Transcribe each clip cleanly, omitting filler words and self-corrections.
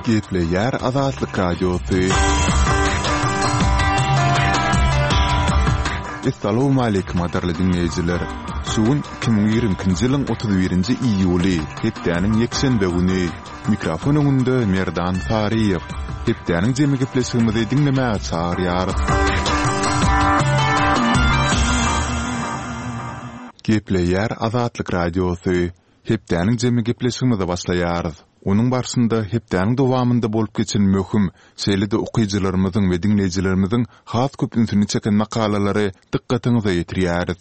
Gepleýär Azatlyk Radiosy. Essalawmaleýkim gadyrly diňleýjiler! Şu gün 2022-nji ýylyň 31-nji iýuly, hepdäniň ýekşenbe güni. Mikrofon öňünde Merdan Saryýew. Hepdäniň jemi gepleşigimizi diňlemäge çagyrýarys. Gepleýär Azatlyk Radiosy. Hepdäniň jemi gepleşigimize başlaýarys. Onuň barşynda hepdäniň dowamynda bolup geçen möhüm, şeýle-de okyjylarymyzyň we diňleýjilerimiziň has köp ünsüni çeken makalalary dykgatyňyza ýetirýäris.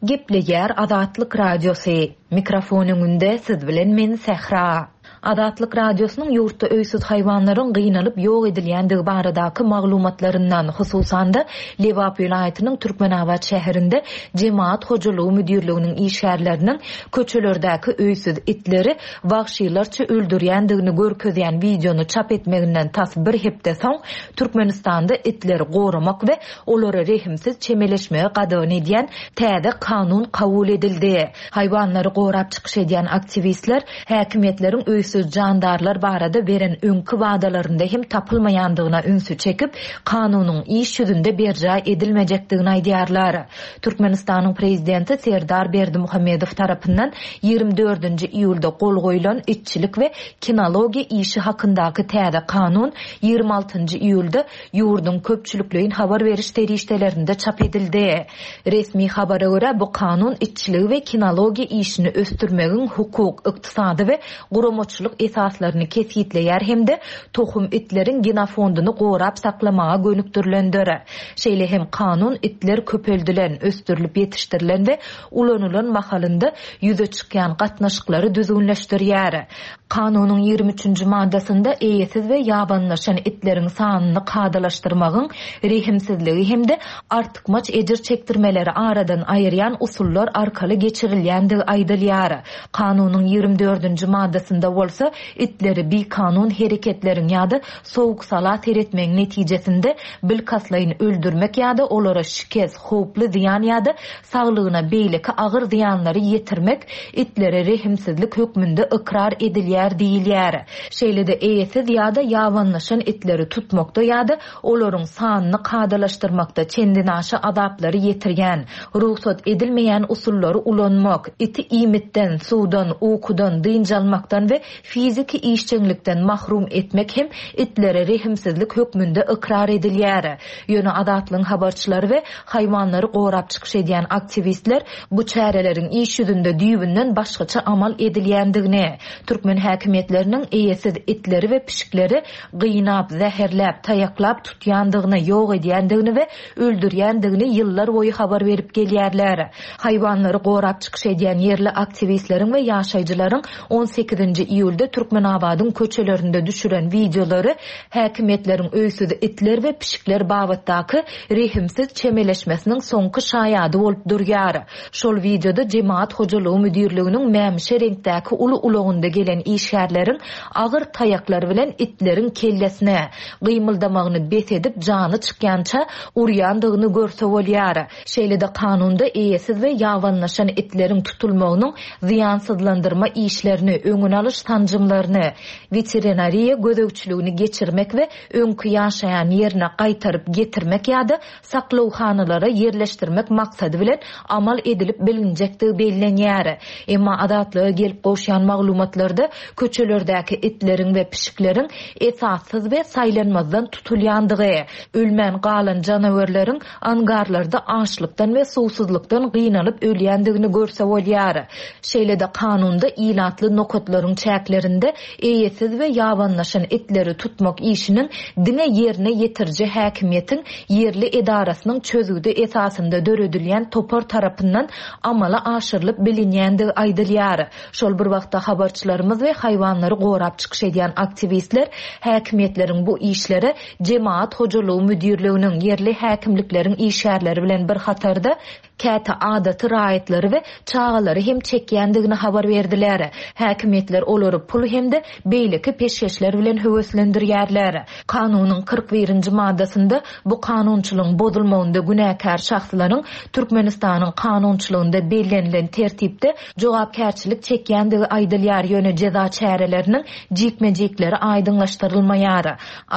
Gepleýär Azatlyk Radiosy. Mikrofon öňünde siz bilen men Sähra. Azatlyk Radiosynyň ýurtda öýsüz haýwanlaryň gynalyp ýok edilýändigi baradaky maglumatlaryndan, hususan-da, Lebap welaýatynyň Türkmenabat şäherinde Jemagat hojalygy müdirliginiň işgärleriniň köçelerdäki öýsüz itleri wagşylarça öldürýändigini görkezýän wideony çap etmeginden tas bir hepde soň, Türkmenistanda itleri goramak we olara rehimsiz çemeleşmegi gadagan edýän täze kanun kabul edildi. Haýwanlary gorap çykyş edýän aktiwistler häkimiýetleriň öýsüz jandarlar barada beren öňki wadalarynda hem tapylmaýandygyna ünsi çekip, kanunyň iş ýüzünde berjaý edilmejekdigini aýdýarlar. Türkmenistanyň prezidenti Serdar Berdimuhamedow tarapyndan ýigrimi dördünji iýulda gol goýlan itçilik we kinologiýa işi hakyndaky täze kanun ýigrimi altynjy iýulda ýurduň köpçülikleýin habar beriş serişdelerinde çap edildi. Resmi habara görä, bu kanun itçiligi we kinologiýa işini ösdürmegiň hukuk, ykdysady we guramaçylyk esaslaryny kesgitleýär hem-de tohum itleriň genofondyny gorap saklamaga gönükdirilendir. Şeýle hem kanun itler köpeldilen, ösdürilip ýetişdirilen we ulanylan mahalynda ýüze çykýan gatnaşyklary düzgünleşdirýär. Kanunyň ýigrimi üçünji maddasynda eýesiz we ýabanylaşan itleriň sanyny kadalaşdyrmagyň rehimsizligi hem-de artykmaç ejir çekdirmeleri aradan aýyrýan usullar arkaly geçirilýändigi aýdylýar. Kanunyň ýigrimi dördünji maddasynda bolsa itleri bikanun hereketleriň ýa-da sowuk-sala seretmegiň netijesinde bilkastlaýyn öldürmek ýa-da olara şikes, howply zyýan ýa-da saglygyna beýleki agyr zyýanlary ýetirmek itlere rehimsizlik hökmünde ykrar edilýär diýilýär. Şeýle-de eýesiz ýa-da ýabanylaşan itleri tutmakda ýa-da olaryň sanyny kadalaşdyrmakda çendenaşa azaplary ýetirýän, rugsat edilmeýän usullary ulanmak, iti iýmitden, suwdan, ukudan, dynç almakdan we fiziki işjeňlikden mahrum etmek hem itlere rehimsizlik hökmünde ykrar edilýär. Ýöne Azatlygyň habarçylary we haýwanlary gorap çykyş edýän aktiwistler bu çäreleriň iş ýüzünde düýbünden başgaça amal edilýändigini, türkmen häkimiýetleriniň eýesiz itleri we pişikleri gynap, zäherläp, taýaklap tutýandygyny, ýok edýändigini we öldürýändigini ýyllar boýy habar berip gelýärler. Haýwanlary gorap çykyş edýän ýerli aktiwistleriň we ýaşaýjylaryň on sekizinji iýulda Türkmenabadyň köçelerinde düşüren wideolary häkimiýetleriň öýsüz itler we pişikler babatdaky rehimsiz çemeleşmesiniň soňky şaýady bolup durýar. Şol wideoda Jemagat hojalygy müdirliginiň mämişi reňkdäki uly ulagynda gelen işgärleriň agyr taýaklar bilen itleriň kellesine, gymyldamagyny bes edip jany çykýança urýandygyny görse bolýar. Şeýle-de kanunda eýesiz we ýabanylaşan itleriň tutulmagynyň zyýansyzlandyrma işlerini, öňüni alyş sanjymlaryny, weterinariýa gözegçiligini geçirmek we öňki ýaşaýan ýerine gaýtaryp getirmek ýa-da saklawhanalara ýerleşdirmek maksady bilen amal edilip bilinjekdigi bellenýär. Emma Azatlyga gelip gowşýan maglumatlarda köçelerdäki itleriň we pişikleriň esassyz we saýlanmazdan tutulýandygy, ölmän galan janawerleriň angarlarda açlykdan we suwsuzlykdan gynalyp ölýändigini görse bolýar. Şeýle-de kanunda ilatly nokatlaryň çäklerinde eýesiz we ýabanylaşan itleri tutmak işiniň diňe ýerine ýetiriji häkimiýetiň ýerli edarasynyň çözgüdi esasynda döredilýän topar tarapyndan amala aşyrylyp bilinýändigi aýdylýar. Şol bir wagtda habarçylarymyz we haýwanlary gorap çykyş edýän aktiwistler häkimiýetleriň bu işlere Jemagat hojalygy müdirliginiň, ýerli häkimlikleriň işgärleri bilen bir hatarda, käte adaty raýatlary we çagalary hem çekýändigini habar berdiler. Häkimiýetler olary pul hem-de beýleki peşgeşler bilen höweslendirýärler. Kanunyň 41-nji maddasynda bu kanunçylygyň bozulmagynda günäkär şahslaryň Türkmenistanyň kanunçylygynda bellenilen tertipde jogapkärçilik çekýändigi aýdylýar, ýöne jeza çäreleriniň jikme-jikleri aýdyňlaşdyrylmaýar.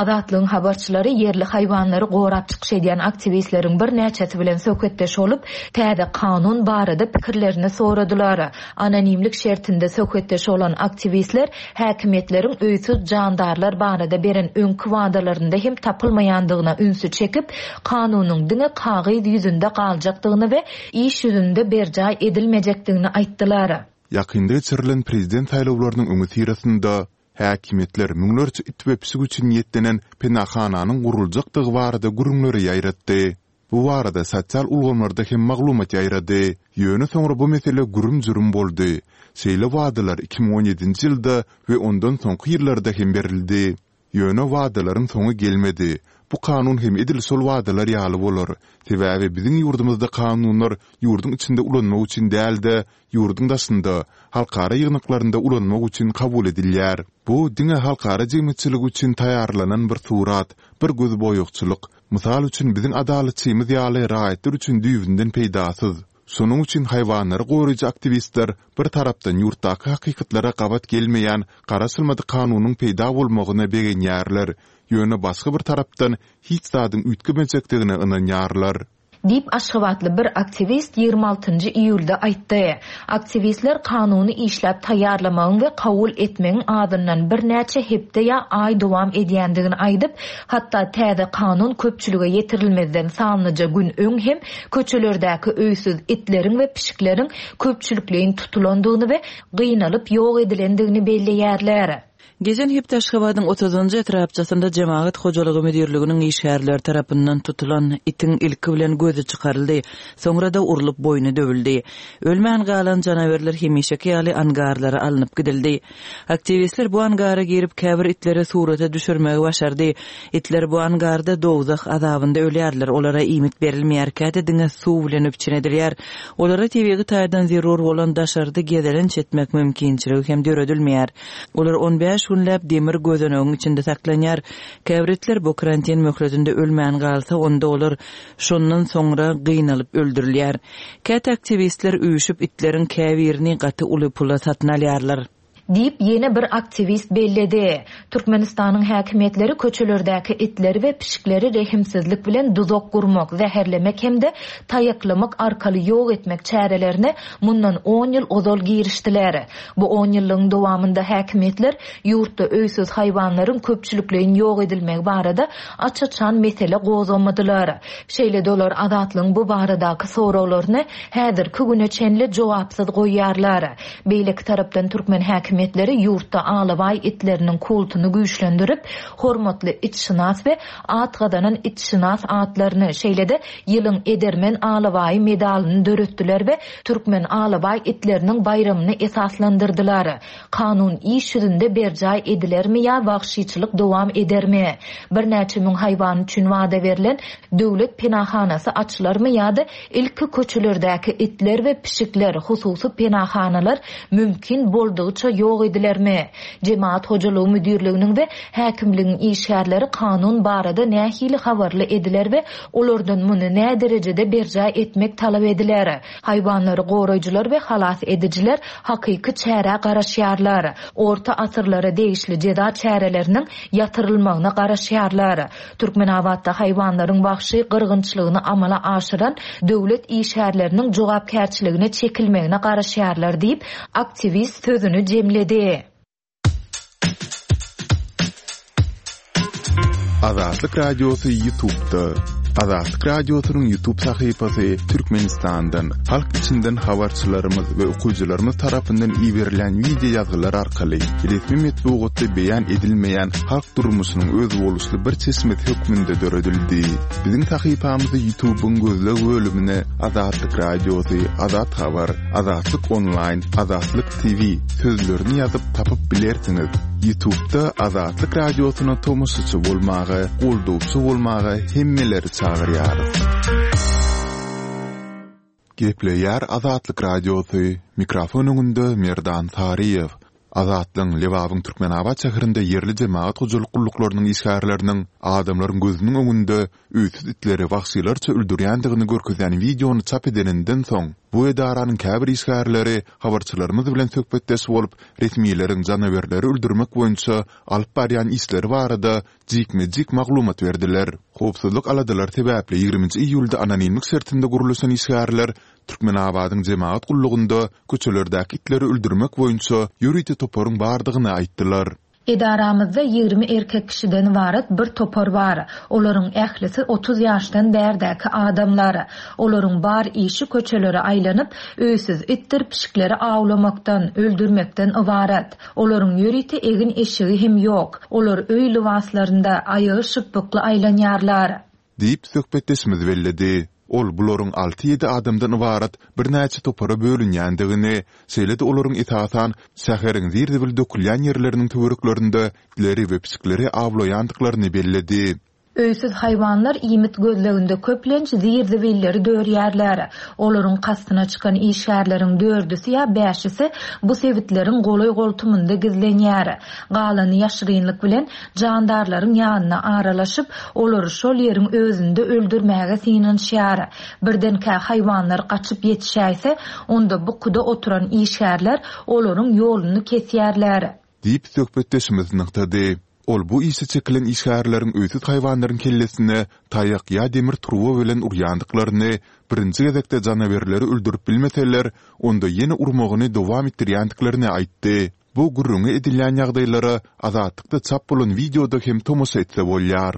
Azatlygyň habarçylary ýerli haýwanlary gorap çykyş edýän aktiwistleriň birnäçesi bilen söhbetdeş bolup, täze kanun barada pikirlerini soradylar. Anonimlik şertinde söhbetdeş bolan aktiwistler häkimiýetleriň öýsüz jandarlar barada beren öňki wadalarynda hem tapylmaýandygyna ünsi çekip, kanunyň diňe kagyz ýüzünde galjakdygyny we iş ýüzünde berjaý edilmejekdigini aýtdylar. Ýakynda geçirilen prezident saýlawlarynyň öňüsyrasynda häkimiýetler müňlerçe it we pişik üçin niýetlenen penahananyň guruljakdygy barada gürrüňleri ýaýratdy. Bu barada sosial ulgamlarda hem maglumat ýaýrady. Ýöne soňra bu mesele gürüm-jürüm boldy. Şeýle wadalar 2017-nji ýylda we ondan soňky ýyllarda hem berildi. Ýöne wadalaryň soňy gelmedi. Bu kanun hem edil şol wadalar ýaly bolar. Sebäbi biziň ýurdumyzda kanunlar ýurduň içinde ulanmak üçin däl-de, ýurduň daşynda, halkara ýygnaklarynda ulanmak üçin kabul edilýär. Bu diňe halkara jemgyýetçiligi üçin taýýarlanan bir surat, bir gözboýagçylyk. Mysal üçin biziň adalatçymyz ýaly raýatlar üçin düýbünden peýdasyz. Şonuň üçin haýwanlary goraýjy aktiwistler bir tarapdan ýurtdaky hakykatlara gabat gelmeýän garaşylmadyk kanunyň peýda bolmagyna begenýärler, ýöne başga bir tarapdan hiç zadyň üýtgemejekdigine ynanýarlar. Diýip, aşgabatly bir aktiwist 26 njy iýulda aýtdy. Aktiwistler kanuny işläp taýýarlamagyň we kabul etmegiň azyndan birnäçe hepde ýa aý dowam edýändigini aýdyp, hatda täze kanun köpçülige ýetirilmezden sanlyja gün öň hem köçelerdäki öýsüz itleriň we pişikleriň köpçülikleýin tutulandygyny we gynalyp ýok edilendigini belleýärler. Geçen hepde Aşgabadyň otuzynjy etrapçasynda Jemagat hojalygy müdirliginiň işgärleri tarapyndan tutulan itiň ilki bilen gözi çykaryldy, soňra-da urlup boýny döwüldi. Ölmän galan janawerler hemişeki ýaly angarlara alnyp gidildi. Aktiwistler bu angara girip, käbir itleri surata düşürmegi başardy. Itler bu angarda dowzah azabynda ölýärler, olara iýmit berilmeýär, käte diňe suw bilen üpjün edilýär. Olara tebigy taýdan zerur bolan daşarda gezelenç etmek mümkinçiligi hem döredilmeýär. Olar on bäş günläp demir gözenegiň içinde saklanýar. Käbir itler bu karantin möhletinde ölmän galsa, onda olar şondan soňra gynalyp öldürilýär. Käte aktiwistler üýşüp itleriň käbirini gaty uly pula satyn alýarlar. Diýip, ýene bir aktiwist belledi. Türkmenistanyň häkimiýetleri köçelerdäki itleri we pişikleri rehimsizlik bilen duzak gurmak, zäherlemek hem-de taýaklamak arkaly ýok etmek çärelerine mundan on ýyl ozal girişdiler. Bu on ýyllygyň dowamynda häkimiýetler ýurtda öýsüz haýwanlaryň köpçülikleýin ýok edilmegi barada aç-açan mesele gozgamadylar. Şeýle-de olar Azatlygyň bu baradaky soraglaryny häzirki güne çenli jogapsyz goýýarlar. Beýleki tarapdan türkmen häkimiýetleri ýurtda alabaý itleriniň kultuny güýçlendirip, hormatly itşynas we at gazanan itşynas atlaryny, şeýle-de ýylyň edermen alabaýy medalyny döretdiler we türkmen alabaý itleriniň baýramyny esaslandyrdylar. Kanun iş ýüzünde berjaý edilermi ýa wagşyçylyk dowam edermi? Birnäçe müň haýwan üçin wada berlen döwlet penahanasy açylarmy ýa-da ilki köçelerdäki itler we pişikler, hususy penahanalar mümkin boldugyça ýok edilermi? Jemagat hojalygy müdirliginiň we häkimligiň işgärleri kanun barada nähili habarly ediler we olardan muny näderejede berjaý etmek talap ediler? Haýwanlary goraýjylar we halas edijiler hakyky çärä garaşýarlar. Orta asyrlara degişli jeza çäreleriniň ýatyrylmagyna garaşýarlar. Türkmenabatda haýwanlaryň wagşy gyrgynçylygyny amala aşyran döwlet işgärleriniň jogapkärçiligine çekilmegine garaşýarlar diýip, aktiwist sözüni jemledi. Azatlyk Radiosy YouTube'da. Azatlyk Radiosynyň YouTube sahypasy Türkmenistandan, halk içinden habarçylarymyz we okyjylarymyz tarapyndan iberilen wideo ýazgylar arkaly resmi metbugatda beýan edilmeýän halk durmuşynyň özboluşly bir çeşmesi hökmünde döredildi. Biziň sahypamyzy YouTube'yň gözleg bölümine Azatlyk Radiosy, Azat Habar, Azatlyk Onlaýn, Azatlyk TV sözlerini ýazyp tapyp bilersiňiz. Ýutubda Azatlyk Radiosyna tomaşaçy bolmaga, goldawçy bolmaga hemmeleri çagyrýarys. Gepleýär Azatlyk Radiosy, mikrofon öňünde Merdan Saryýew. Azatlygyň Lebabyň Türkmenabat şäherinde ýerli jemagat hojalyk gulluklarynyň işgärleriniň adamlaryň gözüniň öňünde öýsüz itleri wagşylarça öldürýändigini görkezýän wideony çap edeninden soň, bu edaranyň käbir işgärleri habarçylarymyz bilen söhbetdeş bolup, resmileriň janawerleri öldürmek boýunça alyp barýan işleri barada jikme-jik maglumat berdiler. Howpsuzlyk aladalary sebäpli ýigriminji iýulda anonimlik şertinde gürleşen işgärler Türkmenabadyň jemagat gullugynda köçelerdäki itleri öldürmek boýunça ýörite toparyň bardygyny aýtdylar. Edaramyzda 20 erkek kişiden ybarat bir topar bar. Olaryň ählisi 30 ýaşdan bärdäki adamlar. Olaryň bar işi köçelere aýlanyp, öýsüz itdir pişikleri awlamakdan, öldürmekden ybarat. Olaryň ýörite egin-eşigi hem ýok. Olar öý lybaslarynda, aýagy şypbykly aýlanýarlar. Diýip, söhbetdeşimiz belledi. Ol bularyň alty-ýedi adamdan ybarat birnäçe topara bölünýändigini, şeýle-de olaryň esasan şäheriň zir-zibil dökülýän ýerleriniň töwereklerinde itleri we pişikleri awlaýandyklaryny belledi. Öýsüz haýwanlar iýmit gözleginde köplenç zir-zibilleri dörýärler. Olaryň kastyna çykan işgärleriň dördüsi ýa bäşisi bu sebitleriň golaý-goltumynda gizlenýär. Galany ýaşyrynlyk bilen jandarlaryň ýanyna aralaşyp, olary şol ýeriň özünde öldürmäge synanyşýar. Birdenkä haýwanlar gaçyp ýetişäýse, onda bukuda oturan işgärler olaryň ýoluny kesýärler. Diýip, söhbetdeşimiz nygtady. Ol bu işe çekilen işgärleriň öýsüz haýwanlaryň kellesine taýak ýa demir turba bilen urýandyklaryny, birinji gezekde janawerleri öldürip bilmeseler, onda ýene urmagyny dowam etdirýändiklerini aýtdy. Bu gürrüňi edilýän ýagdaýlara Azatlykda çap bolan wideoda hem tomaşa etse bolýar.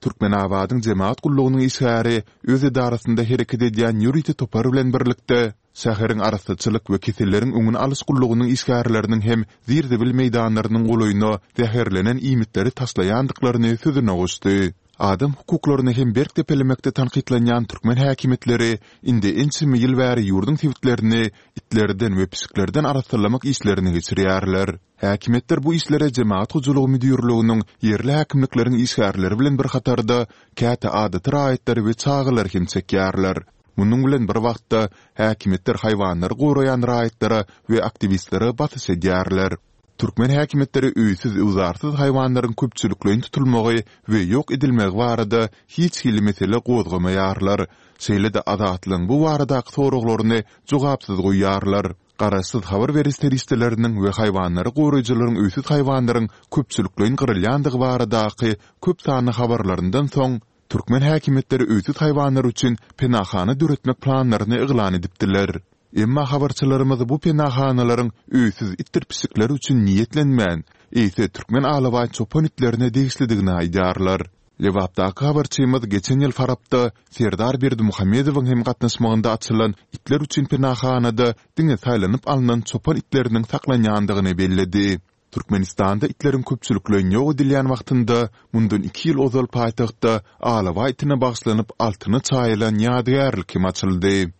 Türkmenabadyň jemagat gullugynyň işgäri öz edarasynda hereket edýän ýörite topar bilen birlikde, şäheriň arassaçylyk we keselleriň öňüni alyş gullugynyň işgärleriniň hem zir-zibil meýdanlarynyň golaýyna zäherlenen iýmitleri taşlaýandyklaryny sözüne goşdy. Adam hukuklaryny hem berk depelemekde tankytlanýan türkmen häkimiýetleri indi ençeme ýyl bäri ýurduň sebitlerini itlerden we pişiklerden arassalamak işlerini geçirýärler. Häkimiýetler bu işlere Jemagat hojalygy müdirliginiň, ýerli häkimlikleriň işgärleri bilen bir hatarda, käte adaty raýatlary we çagalary hem çekýärler. Munuň bilen bir wagtda, häkimiýetler haýwanlary goraýan raýatlara we aktiwistlere basyş edýärler. Türkmen häkimiýetleri öýsüz-öwzarsyz haýwanlaryň köpçülikleýin tutulmagy we ýok edilmegi barada hiç hili mesele gozgamaýarlar, şeýle-de Azatlygyň bu baradaky soraglaryny jogapsyz goýýarlar. Garaşsyz habar beriş serişdeleriniň we haýwanlary goraýjylaryň öýsüz haýwanlaryň köpçülikleýin gyrylýandygy baradaky köp sanly habarlaryndan soň, türkmen häkimiýetleri öýsüz haýwanlar üçin penahana döretmek planlaryny yglan edipdiler. Emma habarçylarymyz bu penahanalaryň öýsüz itdir pişikler üçin niýetlenmän, eýse türkmen alabaý çopan itlerine degişlidigini aýdýarlar. Lebapdaky habarçymyz geçen ýyl Farapda Serdar Berdimuhamedowyň hem gatnaşmagynda açylan itler üçin penahanada diňe saýlanyp alnan çopan itleriniň saklanýandygyny belledi. Türkmenistanda itleriň köpçülikleýin ýok edilýän wagtynda, mundan iki ýyl ozal paýtagtda alabaý itine bagyşlanyp altyna çaýylan ýadygärlik hem açyldy.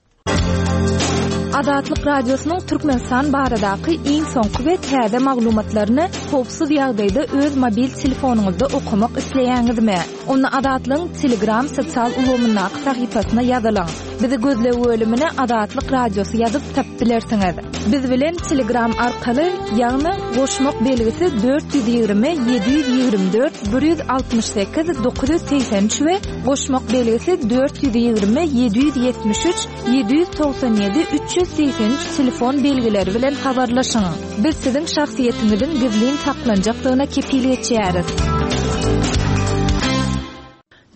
Azatlyk Radiosynyň Türkmenistan baradaky iň soňky we täze maglumatlaryny howpsuz ýagdaýda öz mobil telefonyňyzda okamak isleýäňizmi? Onda Azatlygyň Telegram sosial ulgamyndaky sahypasyna ýazylyň. Bizi gözleg bölümine Azatlyk Radiosy ýazyp tapyp bilersiňiz. Biz bilen Telegram arkaly, ýagny goşmak belgisi 420 724 168 983 we goşmak belgisi 420 773 797 383 telefon belgileri bilen habarlaşyň. Biz siziň şahsyýetiňiziň gizlin saklanjakdygyna kepil geçýäris.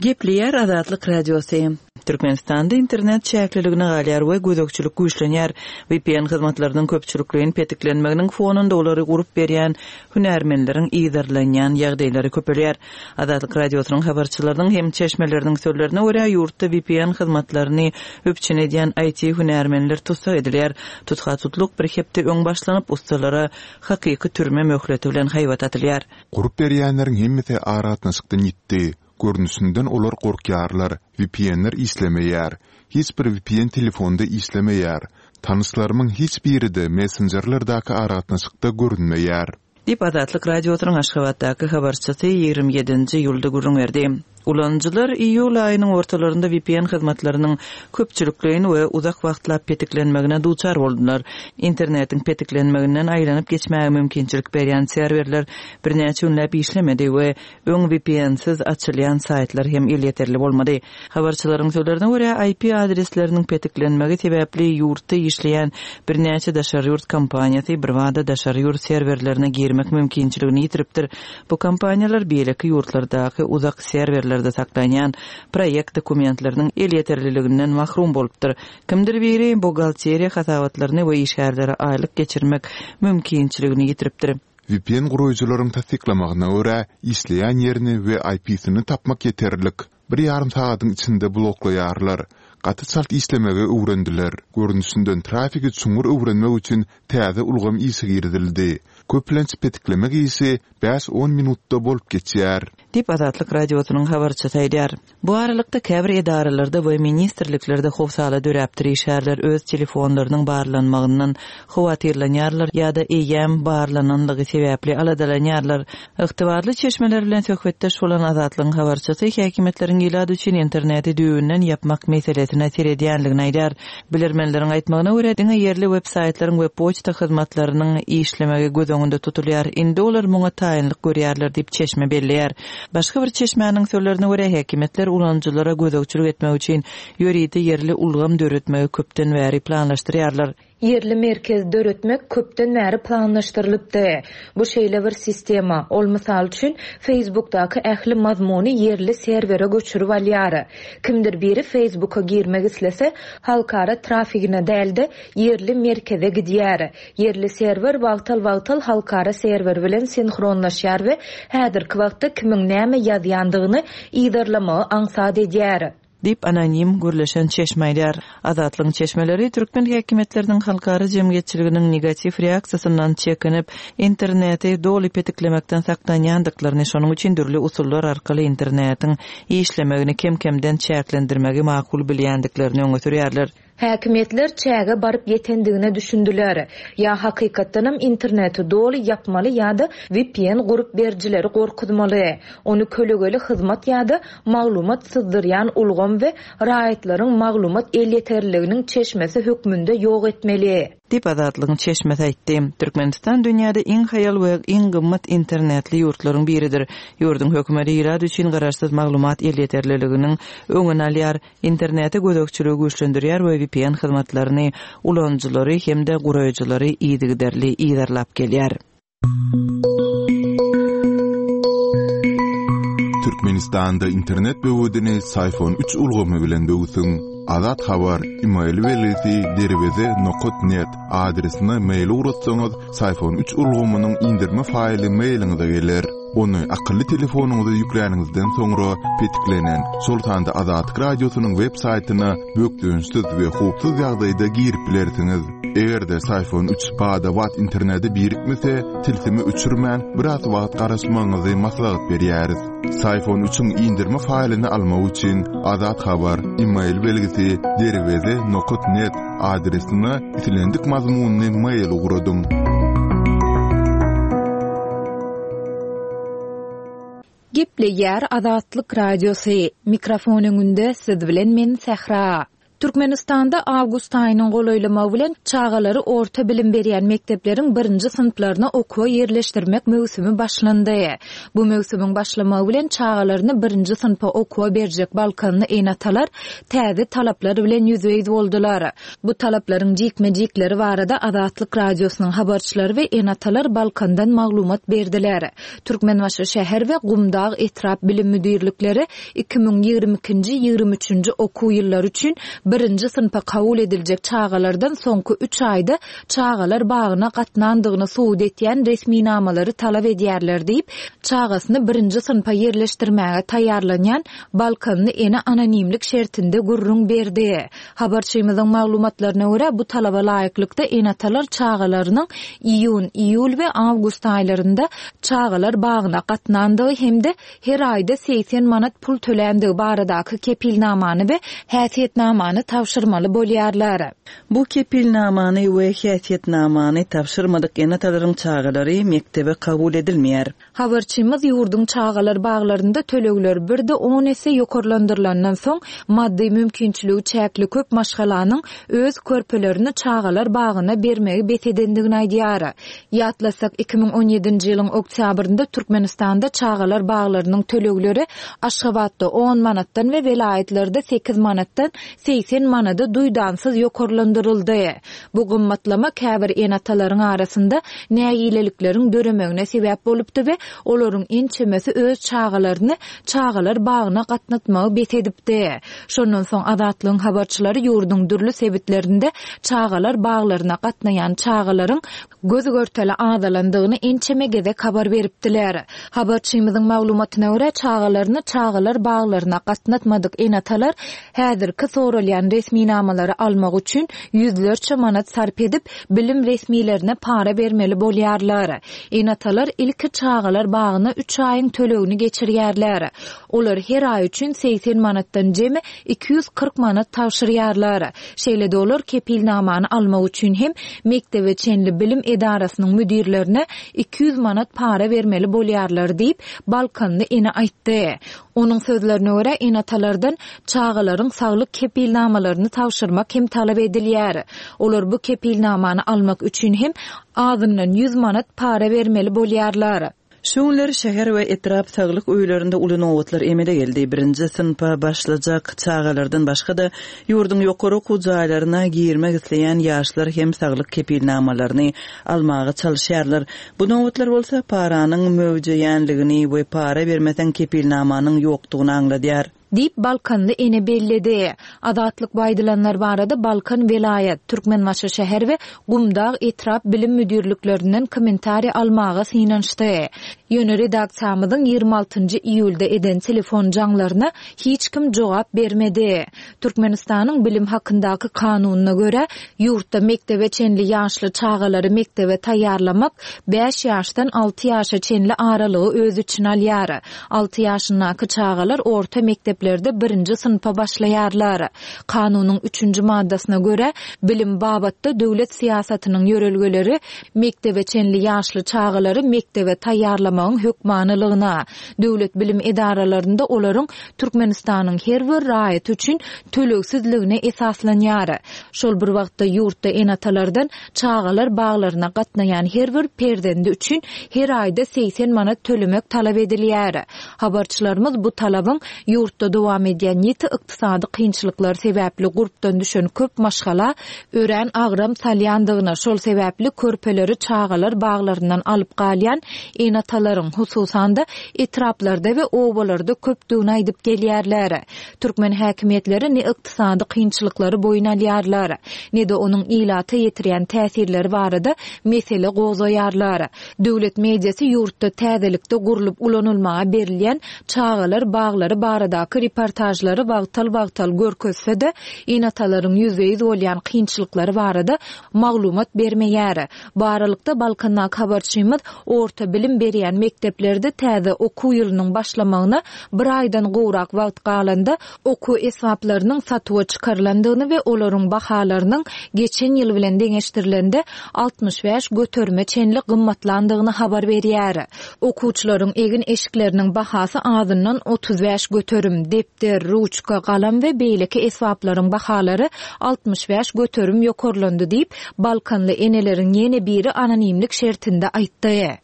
Gepleýär Azatlyk Radiosy. Türkmenistanda internet çäkliligine galýar we gözegçilik güýçlenýär. VPN hyzmatlarynyň köpçülikleýin petiklenmeginiň fonunda olary gurup berýän hünärmenleriň yzarlanýan ýagdaýlary köpelýär. Azatlyk Radiosynyň habarçylarynyň hem çeşmeleriniň sözlerine görä, ýurtda VPN hyzmatlaryny üpjün edýän IT-hünärmenler tussag edilýär. Tutha-tutluk bir hepde öň başlanyp, ussalara hakyky türme möhleti bilen haýbat atylýar. Gurup berýänleriň hemmesi aragatnaşykdan ýitdi. Görnüşinden olar gorkýarlar, VPN-ler işlemeýär. Hiç bir VPN telefonda işlemeýär. Tanyşlarymyň hiç biri-de messenjerlerdäki aragatnaşykda görünmeýär. Diýip, Azatlyk Radiosynyň Aşgabatdaky habarçysy 27 nji iýulda gürrüň berdi. Ulanyjylar iýul aýynyň ortalarynda vpn hyzmatlarynyň köpçülikleýin we uzak wagtlap petiklenmegine duçar boldular. Internetiň petiklenmeginden aýlanyp geçmäge mümkinçilik berýän serwerler birnäçe günläp işlemedi we öň VPN-siz açylýan saýtlar hem elýeterli bolmady. Habarçylaryň sözlerine görä, IP adresleriniň petiklenmegi sebäpli ýurtda işleýän birnäçe daşary ýurt kompaniýasy birbada daşary ýurt serwerlerine girmek mümkinçiligini ýitiripdir. Bu kompaniýalar beýleki ýurtlardaky uzak serwerlerde saklanýan proýekt dokumentleriniň elýeterliliginden mahrum bolupdyr. Kimdir biri buhgalteriýa hasabatlaryny we işgärlere aýlyk geçirmek mümkinçiligini ýitiripdir. Vpn guraýjylaryň tassyklamagyna görä, işleýän ýerini we IP-sini tapmak ýeterlik. Bir ýarym sagadyň içinde bloklaýarlar. Gaty çalt işlemegi öwrendiler. Görnüşinden trafigi çuňňur öwrenmek üçin täze ulgam işe girizildi. Köplenç petiklemek işi bäş-on minutda bolup geçýär. Diýip, Azatlyk Radiosynyň habarçysy aýdýar. Bu aralykda, käbir edaralarda we ministrliklerde howsala döräpdir, işgärler öz telefonlarynyň barlanmagyndan howatyrlanýarlar ýa-da eýýäm barlananlygy sebäpli aladalanýarlar. Ygtybarly çeşmeler bilen söhbetdeş bolan Azatlygyň habarçysy häkimiýetleriň ilat üçin interneti düýbünden ýapmak meselesine seredýänligini aýdýar. Bilermenleriň aýtmagyna görä, diňe ýerli web-saýtlaryň we poçta hyzmatlarynyň işlemegi göz öňünde tutulýar. Indi olar muňa taýynlyk görýärler diýip, çeşme belleýär. Başga bir çeşmäniň sözlerine görä, häkimiýetler ulanyjylara gözegçilik etmek üçin ýörite ýerli ulgam döretmegi köpden bäri planlaşdyrýarlar. Ýerli merkez döretmek köpden bäri planlaşdyrylypdy. Bu şeýle bir sistema, ol, mysal üçin, Facebookdaky ähli mazmuny ýerli serwere göçürip alýar. Kimdir biri Facebooka girmek islese, halkara trafigine däl-de, ýerli merkeze gidýär. Ýerli serwer wagtal-wagtal halkara serwer bilen sinhronlaşýar we häzirki wagtda kimiň näme ýazýandygyny yzarlamagy aňsat edýär. Diýip, anonim gürleşen çeşme aýdýar. Azatlygyň çeşmeleri türkmen häkimiýetleriniň halkara jemgyýetçiliginiň negatiw reaksiýasyndan çekinip, interneti doly petiklemekden saklanýandyklaryny, şonuň üçin dürli usullar arkaly internetiň işlemegini kem-kemden çäklendirmegi makul bilýändiklerini öňe sürýärler. Häkimiýetler çäge baryp ýetendigine düşündiler. Ýa hakykatdanam interneti doly ýapmaly ýa-da vpn gurup berijileri gorkuzmaly. Ony kölegeli hyzmat ýa-da maglumat syzdyrýan ulgam we raýatlaryň maglumat elýeterliliginiň çeşmesi hökmünde ýok etmeli. Diýip, Azatlygyň çeşmesi aýtdy. Türkmenistan dünýäde iň haýal we iň gymmat internetli ýurtlaryň biridir. Ýurduň hökümeti ilat üçin garaşsyz maglumat elýeterliliginiň öňüni alýar. Internete gözegçiligi güýçlendirýär we vpn hyzmatlaryny ulanyjylary hem-de guraýjylary yzygiderli yzarlap gelýär. Türkmenistanda internet böwedini Syfon üç ulgamy bilen böwsüň. Azat Habar, email belgisi derweze nokat net adresine mail ugratsaňyz, Syfon üç ulgamynyň indirme faýly mailiňize geler. Ony akylly telefonyňyza ýükläniňizden soňra petiklenen, şol sanda Azatlyk Radiosynyň web saýtyna bökdençsiz we howpsuz ýagdaýda girip bilersiňiz. Eger-de Syfon üç bada-bat internete birikmese, tilsimi öçürmän, biraz wagt garaşmagyňyzy maslahat berýäris. Syfon üçiň indirme faýlyny almak üçin Azat Habar, email belgisi derweze nokat net adresine islendik mazmunly mail ugradyň. Gepleýär Azatlyk Radiosy, mikrofon öňünde siz bilen men Sähra. Türkmenistanda awgust aýynyň golaýlamagy bilen çagalary orta bilim berýän mekdepleriň birinji synplaryna okuwa ýerleşdirmek möwsümi başlandy. Bu möwsümiň başlamagy bilen çagalaryny birinji synpa okuwa berjek balkanly ene-atalar täze talaplar bilen ýüzbe-ýüz boldular. Bu talaplaryň jikme-jikleri barada Azatlyk Radiosynyň habarçylary we ene-atalar Balkandan maglumat berdiler. Türkmenbaşy şäher we Gumdag etrap bilim müdirlikleri 2022-nji, 23-nji okuw ýyllary üçin birinji synpa kabul ediljek çagalardan soňky üç aýda çagalar bagyna gatnandygyny subut etýän resminamalary talap edýärler diýip, çagasyny birinji synpa ýerleşdirmäge taýýarlanýan balkanly ene anonimlik şertinde gürrüň berdi. Habarçymyzyň maglumatlaryna görä, bu talaba laýyklykda ene-atalar çagalarynyň iýun, iýul we awgust aýlarynda çagalar bagyna gatnandygy hem-de her aýda 80 manat pul töländigi baradaky kepilnamany we häsiýetnamany. kepilnamany tabşyrmaly bolýarlar. Bu kepilnamany we häsiýetnamany tabşyrmadyk ene-atalaryň çagalary mekdebe kabul edilmeýär. Habarçymyz ýurduň çagalar baglarynda tölegler birde on esse ýokarlandyrylandan soň, maddy mümkinçiligi çäkli köp maşgalanyň öz körpelerini çagalar bagyna bermegi bes edendigini aýdýar. Ýatlasak, 2017-nji ýylyň oktýabrynda Türkmenistanda çagalar baglarynyň tölegleri Aşgabatda on manatdan we welaýatlarda sekiz manatdan 80 manada duýdansyz ýokarlandyryldy. Bu gymmatlama käbir ene-atalaryň arasynda nägilelikleriň döremegine sebäp bolupdy we olaryň ençemesi öz çagalaryny çagalar bagyna gatnatmagy bes edipdi. Şondan soň Azatlygyň habarçylary ýurduň dürli sebitlerinde çagalar baglaryna gatnaýan çagalaryň göz-görtele azalandygyny ençeme gezek habar beripdiler. Habarçymyzyň maglumatyna görä, çagalaryny çagalar baglaryna gatnatmadyk ene-atalar häzirki soralýan resminamalary almak üçin ýüzlerçe manat sarp edip, bilim resmilerine para bermeli bolýarlar. Ene-atalar ilki çagalar bagyna üç aýyň tölegini geçirýärler. Olar her aý üçin 80 manatdan jemi 240 manat tabşyrýarlar. Şeýle-de olar kepilnamany almak üçin hem mekdebe çenli bilim edarasynyň müdirlerine 200 manat para bermeli bolýarlar diýip, balkanly ene aýtdy. Onuň sözlerine görä, ene-atalardan çagalaryň saglyk kepilnamalaryny tabşyrmak hem talap edilýär. Olar bu kepilnamany almak üçin hem azyndan 100 manat para bermeli bolýarlar. Şu günler şäher we etrap saglyk öýlerinde uly nobatlar emele geldi. Birinji synpa başlajak çagalardan başga-da, ýurduň ýokary okuw jaýlaryna girmek isleýän ýaşlar hem saglyk kepilnamalaryny almaga çalyşýarlar. Bu nobatlar bolsa paranyň möwjeýänligini we para bermeseň kepilnamanyň ýokdugyny aňladýar. Diýip, balkanly ene belledi. Azatlyk bu aýdylanlar barada Balkan welaýat, Türkmenbaşy şäher we Gumdag etrap bilim müdirliklerinden kommentariý almaga synanyşdy. Ýöne redaksiýamyzyň 26 nji iýulda eden telefon jaňlaryna hiç kim jogap bermedi. Türkmenistanyň Bilim hakyndaky kanunyna görä, ýurtda mekdebe çenli ýaşly çagalary mekdebe taýýarlamak bäş ýaşdan alty ýaşa çenli aralygy öz içine alýar. Alty ýaşyndaky çagalar orta mekdeplerde birinji synpa başlaýarlar. Kanunyň üçünji maddasyna görä, bilim babatda döwlet syýasatynyň ýörelgeleri mekdebe çenli ýaşly çagalary mekdebe taýýarlamagyň hökmanylygyna, döwlet bilim edaralarynda olaryň Türkmenistanyň her bir raýaty üçin tölegsizligine esaslanýar. Şol bir wagtda ýurtda ene-atalardan çagalar baglaryna gatnaýan her bir perzendi üçin her aýda 80 manat tölemek talap edilýär. Habarçylarymyz bu talabyň ýurtda dowam edýän ýiti ykdysady kynçylyklar sebäpli gurpdan düşen köp maşgala örän agram salýandygyny, şol sebäpli körpeleri çagalar baglaryndan alyp galýan ene-atalaryň, hususan-da, etraplarda we obalarda köpdügini aýdyp gelýärler. Türkmen häkimiýetleri ne ykdysady kynçylyklary boýun alýarlar, ne-de onuň ilata ýetirýän täsirleri barada mesele gozgaýarlar. Döwlet mediasy ýurtda täzelikde gurlup ulanylmaga berilýän çagalar baglary baradaky reportažlary wagtal-wagtal görkezse-de, ene-atalaryň ýüzbe-ýüz bolýan kynçylyklary barada maglumat bermeýär. Bu aralykda, Balkandaky habarçymyz orta bilim berýän mekdeplerde täze okuw ýylynyň başlamagyna bir aýdan gowrak wagt galanda, okuw esbaplarynyň satuwa çykarylandygyny we olaryň bahalarynyň geçen ýyl bilen deňeşdirilende 65 göterime çenli gymmatlandygyny habar berýär. Okuwçylaryň egin-eşikleriniň bahasy azyndan 35 göterim, depder, ruçka, galam we beýleki esbaplaryň bahalary 65 göterim ýokarlandy diýip, Balkanly eneleriň ýene biri anonimlik şertinde aýtdy.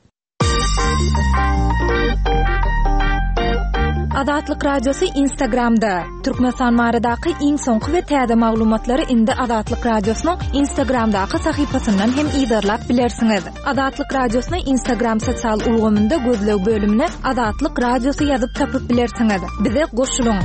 Azatlyk Radiosy Instagramda, Türkmenistan baradaky iň soňky we täze maglumatlary indi Azatlyk Radiosynyň Instagramdaky sahypasyndan hem yzarlap bilersiňiz. Azatlyk Radiosyny Instagram sosial ulgamynda gözleg bölümine Azatlyk Radiosy ýazyp tapyp bilersiňiz. Bize goşulyň!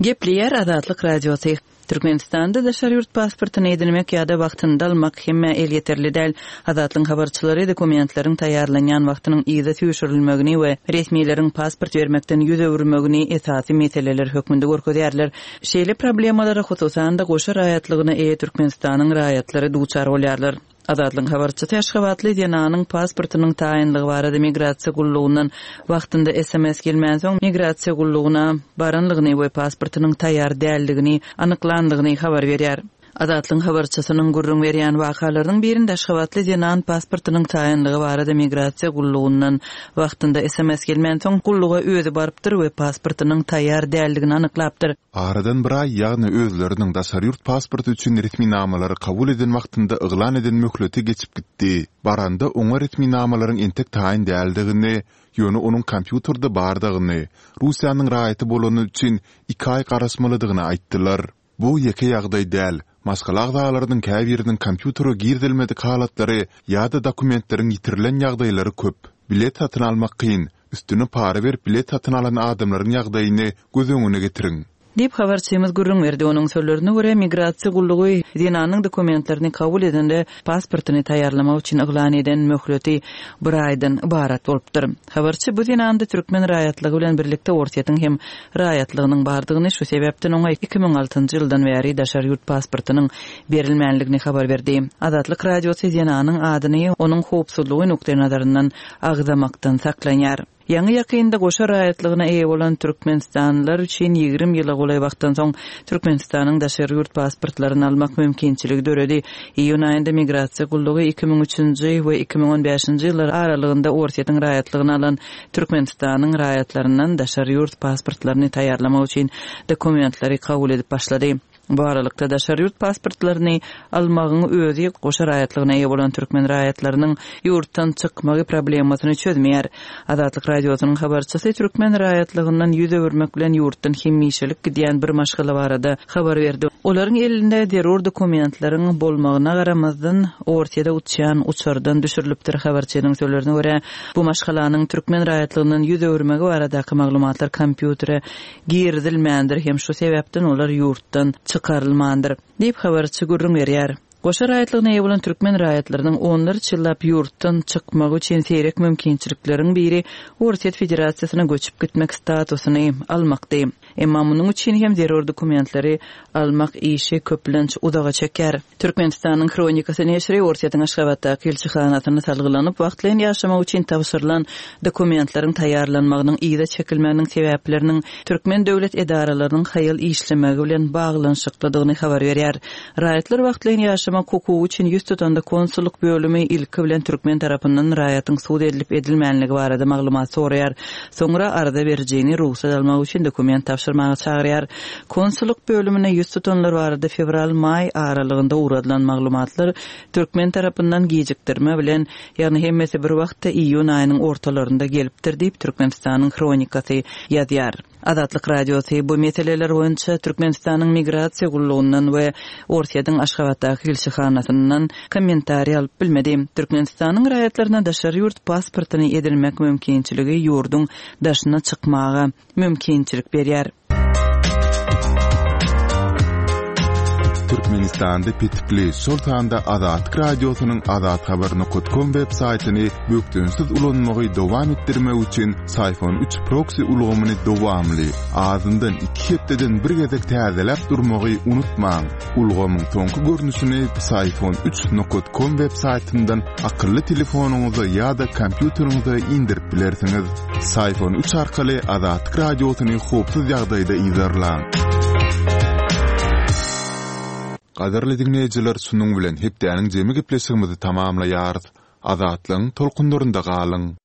Gepleýär Azatlyk Radiosy. Türkmenistanda daşary ýurt pasportyny edinmek ýa-da wagtynda almak hemmä elýeterli däl. Azatlygyň habarçylary dokumentleriň taýýarlanýan wagtynyň yza süýşürilmegini we resmileriň pasport bermekden ýüz öwürmegini esasy meseleler hökmünde görkezýärler. Şeýle problemalara hususan-da goşa raýatlygyna eýe Türkmenistanyň raýatlary duçar bolýarlar. Azatlygyň habarçysy aşgabatly zenanyň pasportynyň taýynlygy barada migrasiýa gullugyndan wagtynda sms gelmänsoň, migrasiýa gullugyna baranlygyny we pasportynyň taýýar däldigini anyklandygyny habar berýär. Azatlygyň habarçysynyň gürrüň berýän wakalarynyň birinde aşgabatly zenan pasportynyň taýynlygy barada migrasiýa gullugyndan wagtynda sms gelmänsoň, gulluga özi barypdyr we pasportynyň taýýar däldigini anyklapdyr. Aradan bir aý, ýagny özleriniň daşary ýurt pasporty üçin resminamalary kabul eden wagtynda yglan eden möhleti geçip gitdi. Baranda oňa resminamalaryň entek taýyn däldigini, ýöne onuň kompýuterde bardygyny, Russiýanyň raýaty bolany üçin iki aý garaşmalydygyny aýtdylar. Bu ýeke ýagdaý däl, maşgala agzalarynyň käbiriniň kompýutere girizilmedik halatlary ýa-da dokumentleriň ýitirilen ýagdaýlary köp. Bilet satyn almak kyn, Üstüne para berip bilet satyn alan adamlaryň ýagdaýyny göz öňüne getiriň. Diýip, habarçymyz gürrüň berdi. Onuň sözlerine görä, migrasiýa gullugy zenanyň dokumentlerini kabul edende pasportyny taýýarlamak üçin yglan eden möhleti bir aýdan ybarat bolupdyr. Habarçy bu zenanda türkmen raýatlygy bilen birlikde Orsýetiň hem raýatlygynyň bardygyny, şu sebäpden oňa 2006-njy ýyldan bäri daşary ýurt pasportynyň berilmänligini habar berdi. Azatlyk Radiosy zenanyň adyny onuň howpsuzlygy nukdaýnazaryndan agzamakdan saklanýar. Ýaňy-ýakynda goşa raýatlygyna eýe bolan türkmenistanlylar üçin 20 ýyla golaý wagtdan soň Türkmenistanyň daşary ýurt pasportlaryny almak mümkinçiligi döredi. Iýun aýynda Migrasiýa gullugy 2003-nji we 2015-nji ýyllar aralygynda Orsýetiň raýatlygyny alan Türkmenistanyň raýatlaryndan daşary ýurt pasportlaryny taýýarlamak üçin dokumentleri kabul edip başlady. Bu aralykda, daşary ýurt pasportlaryny almagyň özi goşa raýatlygyna eýe bolan türkmen raýatlarynyň ýurtdan çykmagy problemasyny çözmeýär. Azatlyk Radiosynyň habarçysy türkmen raýatlygyndan ýüz öwürmek bilen ýurtdan hemişelik gidýän bir maşgala barada habar berdi. Olaryň elinde zerur dokumentleriň bolmagyna garamazdan, Orsýede uçýan uçardan düşürilipdir. Habarçynyň sözlerine görä, bu maşgalanyň türkmen raýatlygyndan ýüz öwürmegi baradaky maglumatlar kompýutere girizilmändir hem şu sebäpden olar ýurtdan çykarylmandyr, diýip, habarçy gürrüň berýär. Goşa raýatlygyna eýe bolan türkmen raýatlarynyň onlarça ýyllap ýurtdan çykmagy üçin seýrek mümkinçilikleriň biri Orsýet Federasiýasyna göçüp gitmek statusyny almakdy. Emma munuň üçin hem zerur dokumentleri almak işi köplenç uzaga çekýär. Türkmenistanyň Hronikasy neşiri Orsýetiň Aşgabatdaky ilçihanasyna salgylanyp, wagtlaýyn ýaşamak üçin tabşyrylan dokumentleriň taýýarlanmagynyň yza çekilmeginiň sebäpleriniň türkmen döwlet edaralarynyň haýal işlemegi bilen baglanyşyklydygyny habar berýär. Raýatlar wagtlaýyn ýaşamak hukugy üçin ýüz tutanda konsullyk bölümi ilki bilen türkmen tarapyndan raýatyň sud edilip-edilmänligi barada maglumat soraýar. Soňra arza berijini rugsat almak üçin dokument tabşyrmaga çagyrýar. Konsullyk bölümine ýüz tutanlar barada fewral-maý aralygynda ugradylan maglumatlar türkmen tarapyndan gijikdirme bilen, ýagny hemmesi bir wagtda iýun aýynyň ortalarynda gelipdir diýip, Türkmenistanyň Hronikasy ýazýar. Azatlyk Radiosy bu meseleler boýunça Türkmenistanyň Migrasiýa gullugyndan we Orsýetiň Aşgabatdaky ilçihanasyndan kommentariý alyp bilmedi. Türkmenistanyň raýatlaryna daşary ýurt pasportyny edinmek mümkinçiligi ýurduň daşyna çykmaga mümkinçilik berýär. Türkmenistanda petikli, şol sanda Azatlyk Radiosynyň azathabar nokat kom web saýtyny bökdençsiz ulanmagy dowam etdirmek üçin Syfon üç proksi ulgamyny dowamly, azyndan iki hepdeden bir gezek täzeläp durmagy unutmaň. Ulgamyň soňky görnüşini Psiphon üç nokat kom web saýtyndan akylly telefonyňyza ýa-da kompýuteriňize indirip bilersiňiz. Psiphon üç arkaly Azatlyk Radiosyny howpsuz ýagdaýda yzarlaň. Gadyrly diňleýjiler şunuň bilen hepdäniň jemi gepleşigimizi tamamlaýarys. Azatlygyň tolkunlarynda galyň!